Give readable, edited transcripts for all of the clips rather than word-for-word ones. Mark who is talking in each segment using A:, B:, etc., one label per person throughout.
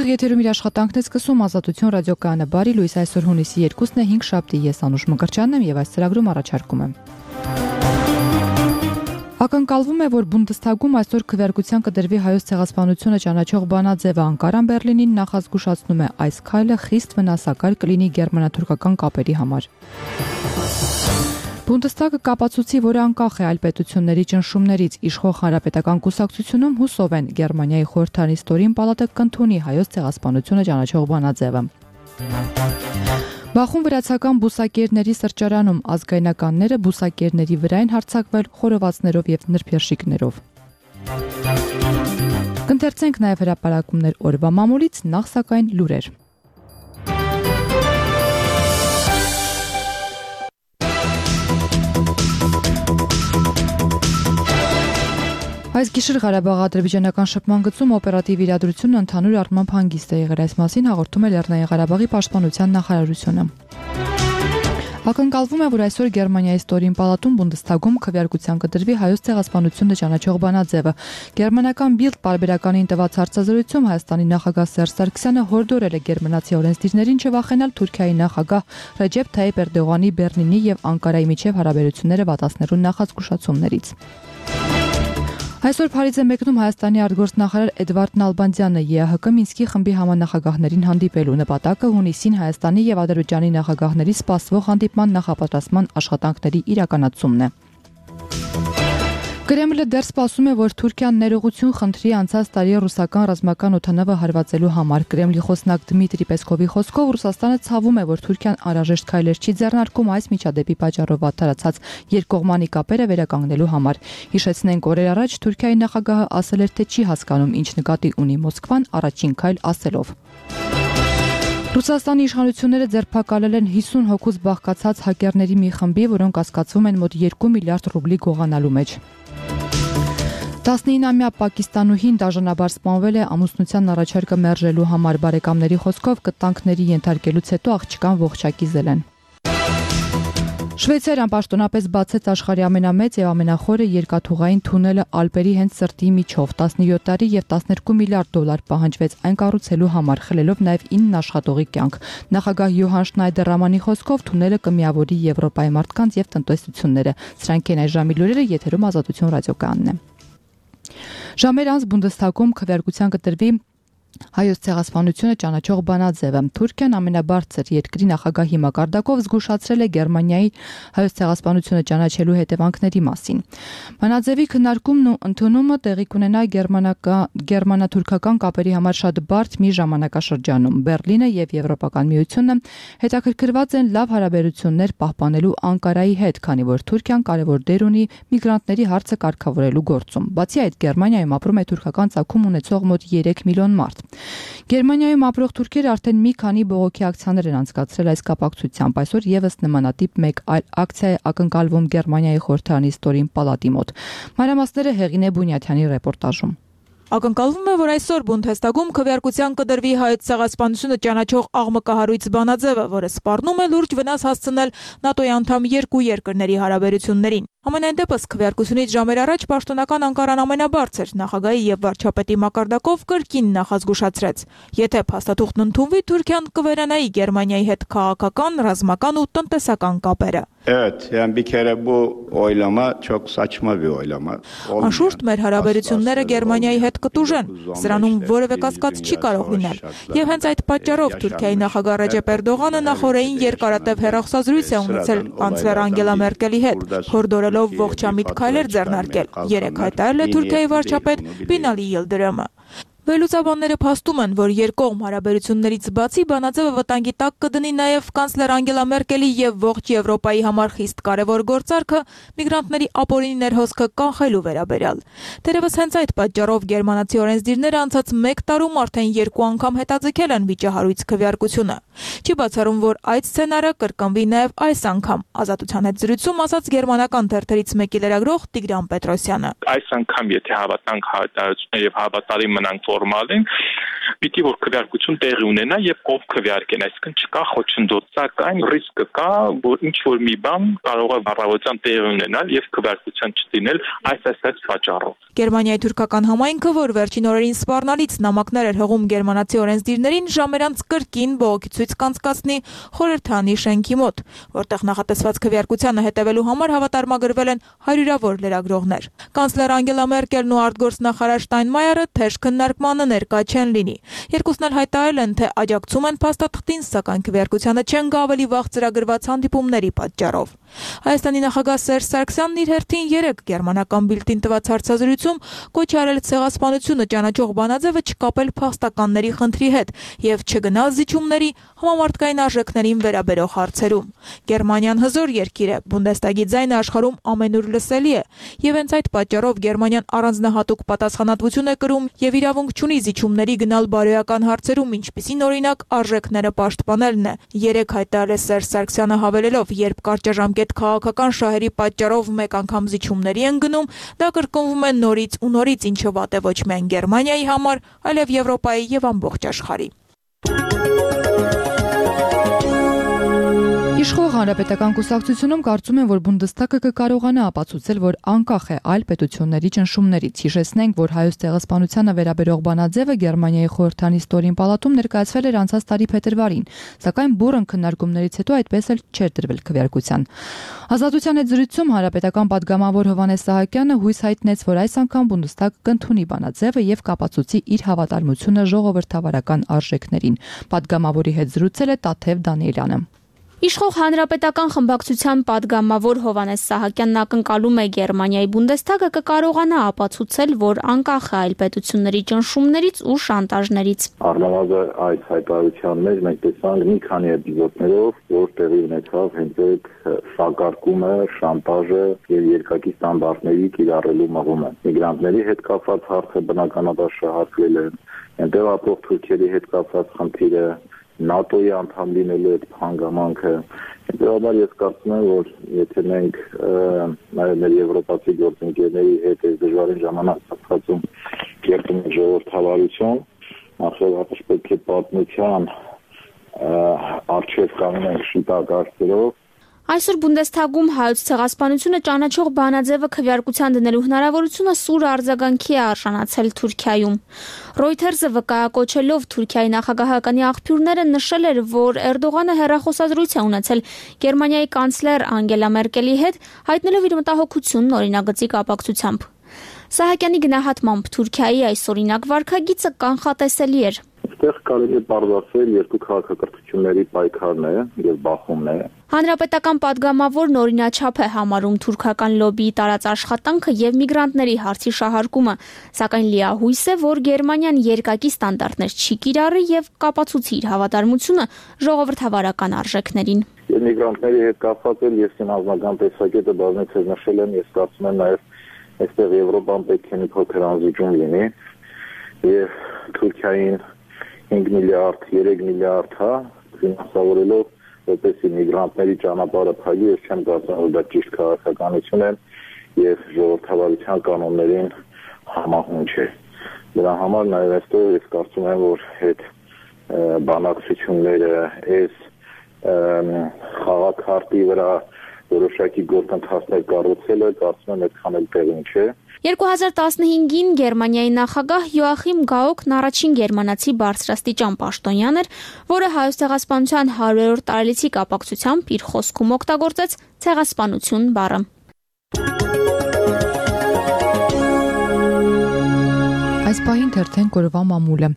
A: Ուղիղ եթերում իր աշխատանքն է սկսում Ազատություն ռադիոկայանը բարի լույս այսօր հունիսի 2-ն է 5 շաբթի ես Անուշ Մկրտչյանն եմ եւ այս ծրագրում առաջարկում եմ Ակնկալվում է, որ Բունդեսթագում այսօր քվեարկության կդրվի հայոց ցեղասպանությունը ճանաչող բանաձևը Անկարան Բեռլինին նախազգուշացնում է այս քայլը խիստ վնասակար կլինի գերմանա-թուրքական կապերի համար Բունդեսթագը կապացուցի, որ անկախ է այլ պետությունների ճնշումներից իշխող հանրապետական կուսակցությունում հուսով են Գերմանիայի խորհրդարանի ստորին պալատը կընդունի հայոց ցեղասպանությունը ճանաչող բանաձևը Բախում վրացական բուսակերների սրճարանում ազգայնականները բուսակերների վրա են հարձակվել խորովածներով եւ նրբերշիկներով Կընթերցենք նաեւ հրապարակումներ օրվա մամուլից նախ սակայն լուրեր Այս գիշեր Ղարաբաղ-ադրբեջանական շփման գծում օպերատիվ իրադրությունն ընդհանուր առմամբ հանգիստ է եղել այս մասին հաղորդում է Լեռնային Ղարաբաղի պաշտպանության նախարարությունը Ակնկալվում է, որ այսօր Գերմանիայի ստորին պալատում Բունդեսթագում քվեարկության կդրվի հայոց ցեղասպանությունը ճանաչող բանաձևը Գերմանական Bild պարբերականին տված հարցազրույցում Հայաստանի նախագահ Սերժ Սարգսյանը հորդորել է գերմանացի օրենսդիրներին չվախենալ Թուրքիայի նախագահ Ռեջեփ Թայիփ Էրդողանի Բեռլինի եւ Անկարայի միջև հարաբերությունները վատացնելու նախազգուշացումներից Այսօր Փարիզ է մեկնում Հայաստանի արտգործնախարար Էդվարդ Նալբանդյանը ԵԱՀԿ Մինսկի խմբի համանախագահներին հանդիպելու նպատակը հունիսին Հայաստանի եւ Ադրբեջանի նախագահների սպասվող հանդիպման նախապատրաստման աշխատանքների իրականացումն է Կրեմլը դեռ սպասում է, որ Թուրքիան ներողություն խնդրի անցած տարի ռուսական ռազմական օդանավը հարվածելու համար Կրեմլի խոսնակ Դմիտրի Պեսկովի խոսքով Ռուսաստանը ցավում է, որ Թուրքիան անհրաժեշտ քայլեր չի ձեռնարկում այս միջադեպի պատճառով վատթարացած երկկողմանի կապերը վերականգնելու համար։ Հիշեցնենք, օրեր առաջ Թուրքիայի նախագահը ասել էր, թե չի հասկանում, ինչ նկատի ունի Մոսկվան առաջին քայլ ասելով։ Ռուսաստանի իշխանությունները ձերբակալել են 50 հոգուց բաղկացած հակերների մի խմբի, որոնք կասկածվում են մոտ 2 միլիարդ ռուբլի գողանալու մեջ։ 19-ամյա պակիստանուհին դաժանաբար սպանվել է ամուսնության առաջարկը մերժելու համար բարեկամների խոսքով կտանքների ենթարկելուց հետո աղջկան ողջակիզել են։ Շվեյցարիան պաշտոնապես բացեց աշխարհի ամենամեծ եւ ամենախորը երկաթուղային թունելը Ալպերի հենց սրտի միջով 17 տարի եւ 12 միլիարդ դոլար պահանջվեց այն կառուցելու համար, խլելով նաեւ 9 աշխատողի կյանք։ Նախագահ Յոհան Շնայդեր-Ռամանի խոսքով թունելը կմիավորի Եվրոպայի մարդկանց եւ տնտեսությունները։ Սրանք են այս ժամի լուրերը, եթերում Ազատություն ռադիոկայանն է։ Ժամեր անց Բունդեսթագում քվեարկության կտրվի Հայոց ցեղասպանությունը ճանաչող բանաձևը Թուրքիան ամենաբարձր երկրի նախագահի մակարդակով զգուշացրել է Գերմանիայի հայոց ցեղասպանությունը ճանաչելու հետևանքների մասին։ Բանաձևի քննարկումն ու ընդունումը տեղի կունենա գերմանա-թուրքական կապերի համար շատ բարդ մի ժամանակաշրջանում։ Բեռլինը եւ Եվրոպական միությունը հետաքրքրված են լավ հարաբերություններ պահպանելու Անկարայի հետ, քանի որ Թուրքիան կարևոր դեր ունի միգրանտների հարցը կարգավորելու գործում։ Բացի այդ, Գերմանիայում ապրում է թուրքական ծագում ունեցող մոտ 3 միլիոն մարդ։ Գերմանիայում ապրող թուրքերը արդեն մի քանի բողոքի ակցիաներ են անցկացրել այս կապակցությամբ։ Այսօր եւս նմանատիպ մեկ այլ ակցիա է ակնկալվում Գերմանիայի խորհրդարանի ստորին պալատի մոտ։ Մանրամասները Հեղինե Բունյաթյանի ռեպորտաժում։
B: Ակնկալվում է, որ այսօր Բունդեսթագում քվեարկության կդրվի հայոց ցեղասպանությունը ճանաչող աղմկահարույց բանաձևը, որը սպառնում է լուրջ վնաս հասցնել ՆԱՏՕ-ի անդամ երկու երկրների հարաբերություններին։ Համենայն դեպս քվեարկությունից ժամեր առաջ պաշտոնական Անկարան ամենաբարձր նախագահի եւ վարչապետի մակարդակով կրկին նախազգուշացրեց. եթե փաստաթուղթն ընդունվի, Թուրքիան կվերանայի Գերմանիայի հետ քաղաքական, ռազմական ու տնտեսական կապերը։
C: Evet, yani bir kere bu oylama çok saçma bir oylama.
B: Անշուշտ մեր հարաբերությունները Գերմանիայի հետ կտուժեն, սրանում որևէ կասկած չի կարող լինել։ Եվ հենց այդ պատճառով Թուրքիայի նախագահ Ռեջեփ Էրդողանը նախորդին երկարատև հեռախոսազրույց է ունեցել կանցլեր Անգելա Մերկելի հետ, հորդորելով ողջամիտ քայլեր ձեռնարկել։ Երեկ հայտարարել է Թուրքիայի վարչապետ Բինալի Յիլդիրամը։ Վերլուծաբանները փաստում են, որ երկկողմ հարաբերություններից բացի բանաձևը վտանգի տակ կդնի նաև կանցլեր Անգելա Մերկելի եւ ողջ Եվրոպայի համար խիստ կարևոր գործարքը միգրանտների ապօրինի ներհոսքը կանխելու վերաբերյալ։ Դերևս հենց այդ պատճառով գերմանացի օրենսդիրները անցած 1 տարում արդեն 2 անգամ հետաձգել են վիճահարույց քվեարկությունը։ Չի բացառում, որ այդ սցենարը կրկնվի նաև այս անգամ։ Ազատության հետ զրույցում ասաց գերմանական թերթերից մեկի լրագրող Տիգրան Պետրոսյանը։
D: Այս անգամ եթե հավատանք հայտարարությունները եւ հավատալի մնանք, որ նորմալ են, պիտի որ քվեարկություն տեղի ունենա եւ ով քվեարկեն, այսինքն չկա խոչընդոտ, սակայն ռիսկը կա, որ ինչ որ մի բան կարող է առավոտյան տեղի ունենալ եւ քվեարկության չդինել այս պատճառով։
B: Գերմանիայի թուրքական համայնքը, որ վերջին օրերին սպառնալից նամակներ էր հղում գերմանացի օրենսդիրներին, ժամերանց կրկին բողոքի ցույց կանցկացնի խորհրդանի շենքի մոտ, որտեղ նախատեսված քվեարկությանը հետևելու համար հավատարմագրվել են հարյուրավոր լրագրողներ։ Կանցլեր Անգելա Մերկելն ու արտգործնախարար Շտայնմայերը թեժ քննարկմանը ներկա չեն լինի։ Երկուսն էլ հայտարարել են, թե աջակցում են փաստաթղթին, սակայն քվեարկությանը չեն գա ավելի վաղ ծրագրված հանդիպումների պատճառով։ Հայաստանի նախագահ Սերժ Սարգսյանն իր հերթին 3 գերմանական բիլտին տված հարցազրույցում կոչ արել ցեղասպանությունը ճանաչող բանաձևը չկապել փաստականների խնդրի հետ եւ չգնալ զիջումների համամարտկային արժեքներին վերաբերող հարցերում։ Գերմանիան հզոր երկիր է, Բունդեստագի ձայնը աշխարհում ամենուր լսելի է, եւ հենց այդ պատճառով Գերմանիան առանձնահատուկ պատասխանատվություն է կրում եւ իրավունք չունի զիջումների գնալ բարոյական հարցերում, ինչպիսին օրինակ արժեքները պաշտպանելն է։ 3 հայտարարել է Սերժ Սարգսյանը հավելելով, երբ կարճաժամկետ քաղաքական շահերի պատճառով մեկ անգամ զիջումների են գնում, դա կրկնվում է նորից ու նորից, ինչը վատ է ոչ միայն Գերմանիայի համար, այլև Եվրոպայի եւ ամբողջ աշխարհի։
A: Իշխող հանրապետական կուսակցությունում կարծում են, որ Բունդեստագը կկարողանա ապացուցել, որ անկախ է այլ պետությունների ճնշումներից։ Հիշեցնենք, որ հայոց ցեղասպանությանը վերաբերող բանաձևը Գերմանիայի խորհրդանի ստորին պալատում ներկայացվել էր անցած տարի փետրվարին, սակայն բուռն քննարկումներից հետո այդպես էլ չէր դրվել քվեարկության։ Ազատության հետ զրույցում հանրապետական падգամավոր Հովհաննես Սահակյանը հույս հայտնեց, որ այս անգամ Բունդեստագը կընդունի բանաձևը եւ կապացուցի իր հավատարմությունը ժողովրդավարական արժեքներին։ Падգամավորի հետ զրուցել է Տաթև Դանիելյանը։
E: Իշխող հանրապետական խմբակցության падգամավոր Հովհաննես Սահակյանն ակնկալում է Գերմանիայի Բունդեստագը կկարողանա ապացուցել, որ անկախ է այլ պետությունների ճնշումներից ու շանտաժներից։
F: Առնվազն այս հայտարարության մեջ մենք տեսանք մի քանի էպիզոդներով, որ տեղի ունեցավ հենց այդ սակարկումը, շանտաժը եւ երկակի ստանդարտների կիրառելու մղումը։ Միգրանտների հետ կապված հարցը բնականաբար շահարկվել է, այնտեղ ապրող թուրքերի հետ կապված խնդիրը, ՆԱՏՕ-ի անդամ լինելու այդ հանգամանքը, հետեւաբար ես կարծում եմ, որ եթե մենք նաև մեր եվրոպացի գործընկերների հետ այս դժվարին ժամանակահատվածում կերտում ենք ժողովրդավարություն, նախշահատաշ պետք է պատմության առջև կանգնենք ենք շիտակ արծերով։
E: Այսօր Բունդեստագում հայոց ցեղասպանությունը ճանաչող բանաձևը քվեարկության դնելու հնարավորությունը սուր արձագանքի է արժանացել Թուրքիայում։ Reuters-ը վկայակոչելով Թուրքիայի նախագահականի աղբյուրները նշել էր, որ Էրդողանը հեռախոսազրույց է ունեցել Գերմանիայի կանցլեր Անգելա Մերկելի հետ, հայտնելով իր մտահոգությունն օրինագծի կապակցությամբ։ Սահակյանի գնահատմամբ Թուրքիայի այս օրինակ վարքագիծը կանխատեսելի էր։
F: Այստեղ կարելի է բարձրացնել երկու քաղաքակրթությունների պայքարն է եւ բախումն է։
E: Հանրապետական падգամավորն օրինաչափ է համարում թուրքական լոբիի տարած աշխատանքը եւ միգրանտների հարցի շահարկումը, սակայն լիահույս է, որ Գերմանիան երկակի ստանդարտներ չի կիրառի եւ կապացուցի իր հավատարմությունը ժողովրդավարական արժեքներին։
F: Եվ միգրանտների հետ կապված էլ ես իմ անձնական տեսակետը բազմիցս նշել եմ, ես կարծում եմ նաեւ այստեղ Եվրոպան պետք է մի փոքր անզիջում լինի եւ Թուրքիային 5 միլիարդ, 3 միլիարդ ֆինանսավորելով որպեսզի միգրանտների ճանապարհը փակի, ես չեմ կարծում, որ դա ճիշտ քաղաքականություն է եւ ժողովրդավարության կանոններին համահունչ է։ Դրա համար նաեւ այստեղ ես կարծում եմ, որ այդ բանակցությունները այս խաղաքարտի վրա որոշակի գործընթացներ կառուցելը կարծում եմ այդքան էլ տեղին չէ։
E: 2015-ին Գերմանիայի նախագահ Յոախիմ Գաուկն առաջին գերմանացի բարձրաստիճան պաշտոնյան էր, որը հայոց ցեղասպանության 100-րդ տարելիցի կապակցությամբ իր խոսքում օգտագործեց ցեղասպանություն բառը։
A: Այս պահին թերթեն կորվա մամուլը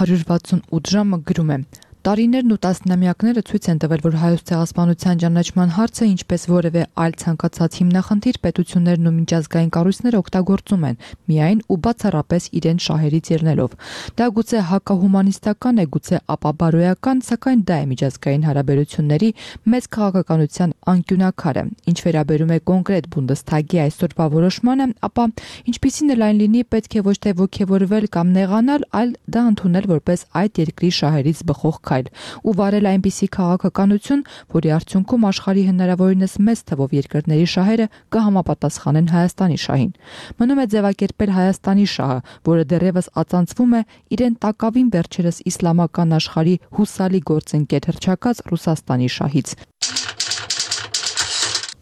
A: 168 ժամը գրում է. Տարիներն ու տասնամյակները ցույց են տվել, որ հայոց ցեղասպանության ճանաչման հարցը, ինչպես որևէ այլ ցանկացած հիմնախնդիր, պետություններն ու միջազգային կառույցները օգտագործում են, միայն ու բացառապես իրենց շահերից ելնելով։ Դա գուցե հակահումանիստական է, գուցե ապաբարոյական, սակայն դա է միջազգային հարաբերությունների մեծ քաղաքականության անկյունակարը։ Ինչ վերաբերում է կոնկրետ Բունդեստագի այսօրվա որոշմանը, ապա ինչպիսին էլ այն լինի, պետք է ոչ թե ոգևորվել կամ նեղանալ, այլ դա ընդունել որպես այդ երկրի շահերից բխող քայլ։ քայլ ու վարել այնպիսի քաղաքականություն, որի արդյունքում աշխարհի հնարավորինս մեծ թվով երկրների շահերը կհամապատասխանեն Հայաստանի շահին։ Մնում է ձևակերպել Հայաստանի շահը, որը դեռևս ածանցվում է իրեն տակավին վերջերս իսլամական աշխարհի հուսալի գործընկեր հռչակած Ռուսաստանի շահից։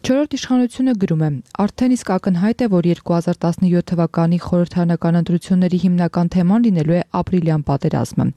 A: Չորրորդ իշխանությունը գրում է. արդեն իսկ ակնհայտ է, որ 2017 թվականի խորհրդարանական ընտրությունների հիմնական թեման լինելու է ապրիլյան պատերազմը։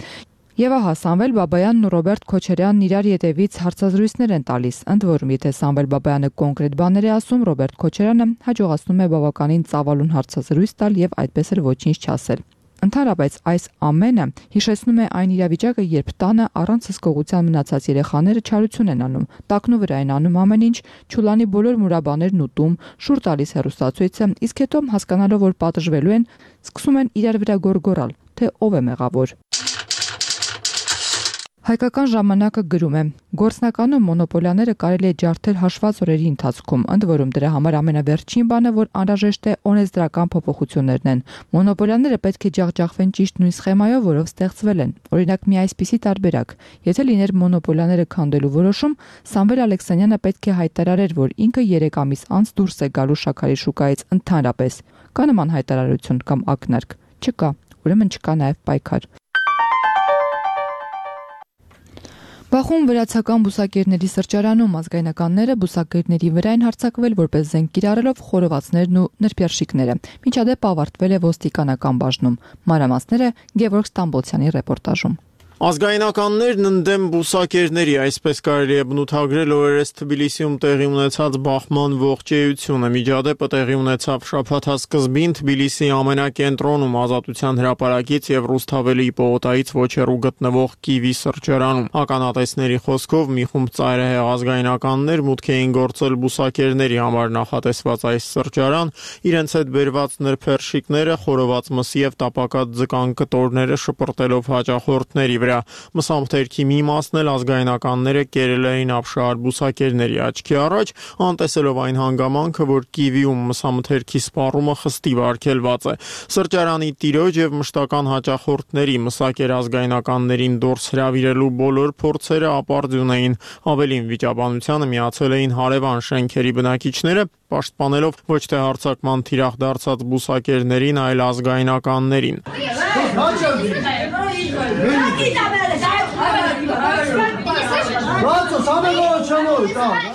A: Եվ ահա Սամվել Բաբայանն ու Ռոբերտ Քոչարյանն իրար ետևից հարցազրույցներ են տալիս, ընդ որում եթե Սամվել Բաբայանը կոնկրետ բաներ է ասում, Ռոբերտ Քոչարյանը հաջողացնում է բավականին ծավալուն հարցազրույց տալ եւ այդպես էլ ոչինչ չասել։ Ընդհանրապես այս ամենը հիշեցնում է այն իրավիճակը, երբ տանը առանց հսկողության մնացած երեխաները չարություն են անում, տակնու վրա են անում ամեն ինչ, չուլանի բոլոր մուրաբաներն ուտում, շուռ տալիս հեռուստացույցը, իսկ հետո հասկանալով, որ պատժվելու են, սկսում են իրար վրա գոռգոռալ, թե ով է մեղավոր։ Հայկական ժամանակը գրում է. գործնականում մոնոպոլիաները կարելի է ջարդել հաշված օրերի ընթացքում, ընդ որում դրա համար ամենավերջին բանը, որ անհրաժեշտ է օրենսդրական փոփոխություններն են։ Մոնոպոլիաները պետք է ջախջախվեն ճիշտ նույն սխեմայով, որով ստեղծվել են։ Օրինակ մի այսպիսի տարբերակ. եթե լիներ մոնոպոլիաները քանդելու որոշում, Սամվել Ալեքսանյանը պետք է հայտարարեր, որ ինքը 3 ամիս անց դուրս է գալու շաքարի շուկայից ընդհանրապես։ Կա նման հայտարարություն կամ ակնարկ։ Չկա, ուրեմն չկա նաև պայքար։ Բախում վրացական բուսակերների սրճարանում ազգայնականները բուսակերների վրա են հարձակվել որպես զենք կիրառելով խորովածներն ու նրբերշիկները։ Միջադեպը ավարտվել է ոստիկանական բաժնում։ Մանրամասները Գևորգ Ստամբոլցյանի ռեպորտաժում։
G: Ազգայնականներն ընդդեմ բուսակերների, այսպես կարելի է բնութագրել օրերս Թբիլիսիում տեղի ունեցած բախման ողջեյությունը։ Միջադեպը տեղի ունեցավ շաբաթասկզբին Թբիլիսիի ամենակենտրոնում Ազատության հրապարակից եւ Ռուսթավելի պողոտայից ոչ հեռու գտնվող Կիվի սրճարանում։ Ականատեսների խոսքով մի խումբ ծայրահեղ ազգայնականներ մուտք էին գործել բուսակերների համար նախատեսված այս սրճարան, իրենց հետ բերված նրբերշիկները, խորոված մսի եւ տապակած ձկան կտորները շպրտելով հաճախորդների վրա։ Մսամթերքի մի մասն էլ ազգայնականները կերել էին ապշահար բուսակերների աչքի առաջ, անտեսելով այն հանգամանքը, որ Կիվիում մսամթերքի սպառումը խստիվ արգելված է։ Սրճարանի տիրոջ եւ մշտական հաճախորդների մսակեր ազգայնականներին դուրս հրավիրելու բոլոր փորձերը ապարդյուն էին։ Ավելին վիճաբանությանը միացել էին հարևան շենքերի բնակիչները, պաշտպանելով ոչ թե հարձակման թիրախ դարձած բուսակերներին, այլ ազգայնականներին։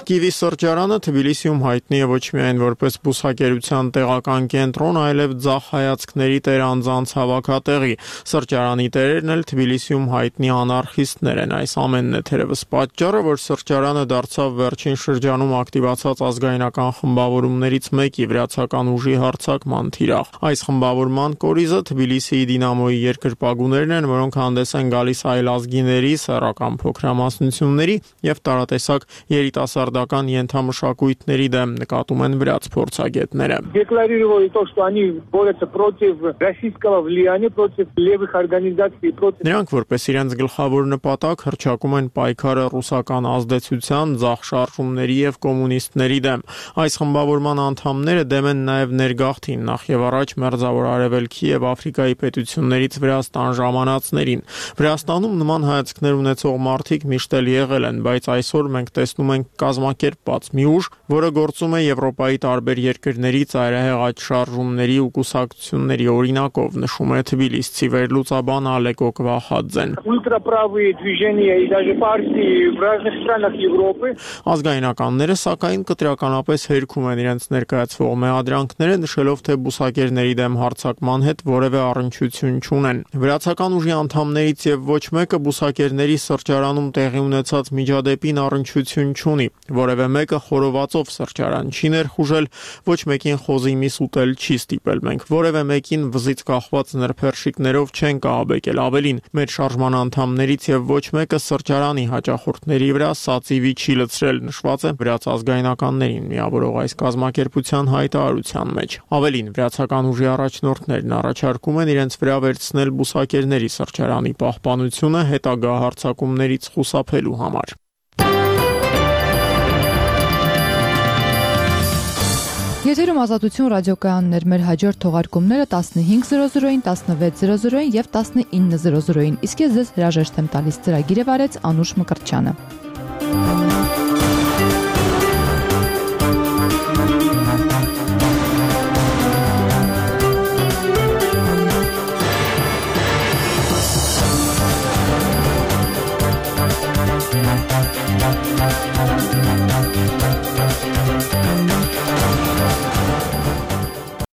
G: Կիվի սրճարանը Թբիլիսիում հայտնի է ոչ միայն որպես բուսակերության տեղական կենտրոն, այլև ձախ հայացքների տեր անձանց հավաքատեղի։ Սրճարանի տերերն էլ Թբիլիսիում հայտնի անարխիստներ են։ Այս ամենն է թերևս պատճառը, որ սրճարանը դարձավ վերջին շրջանում ակտիվացած ազգայնական խմբավորումներից մեկի վրացական ուժի հարձակման թիրախ։ Այս խմբավորման կորիզը Թբիլիսիի Դինամոյի երկրպագուներն են, որոնք հանդես են գալիս այլազգիների, սեռական փոքրամասնությունների եւ տարատեսակ երիտասարդական ենթամշակույթների դեմ, նկատում են վրաց փորձագետները։ Նրանք որպես իրենց գլխավոր նպատակ հռչակում են պայքարը ռուսական ազդեցության, ձախ շարժումների եւ կոմունիստների դեմ։ Այս խմբավորման անդամները դեմ են նաեւ ներգաղթին, նախ եւ առաջ Մերձավոր Արևելքի եւ Աֆրիկայի պետություններից Վրաստան ժամանածներին։ Վրաստանում նման հայացքներ ունեցող մարդիկ միշտ էլ եղել են, բայց այսօր մենք տեսնում ենք կազմակերպված մի ուժ, որը գործում է Եվրոպայի տարբեր երկրների ծայրահեղ աճ շարժումների ու կուսակցությունների օրինակով, նշում է թբիլիսցի վերլուծաբան Ալեկո Կվախաձեն։ Ազգայնականները սակայն կտրականապես հերքում են իրենց ներկայացվող մեղադրանքները, նշելով, թե բուսակերների դեմ հարձակման հետ որևէ առնչություն չունեն։ Վրացական ուժի անդամներից եւ ոչ մեկը բուսակերների սրճարանում տեղի ունեցած միջադեպին առնչություն չունի։ Որևէ մեկը խորովածով սրճարան չի ներխուժել, ոչ մեկին խոզի միս ուտել չի ստիպել։ Մենք որևէ մեկին վզից կախված նրբերշիկներով չենք ահաբեկել։ Ավելին, մեր շարժման անդամներից եւ ոչ մեկը սրճարանի հաճախորդների վրա սածիվի չի լցրել, նշված է վրաց ազգայնականներին միավորող այս կազմակերպության հայտարարության մեջ։ Ավելին, վրացական ուժի առաջնորդներն առաջարկում են իրենց վրա վերցնել բուսակերների սրճարանի պահպանությունը հետագա հարձակումներից խուսափելու համար։
A: Եթերում Ազատություն ռադիոկայաններ, մեր հաջորդ թողարկումները 15:00-ին, 16:00-ին եւ 19:00-ին։ Իսկ ես ձեզ հրաժեշտ եմ տալիս, ծրագիրը վարեց Անուշ Մկրտչյանը։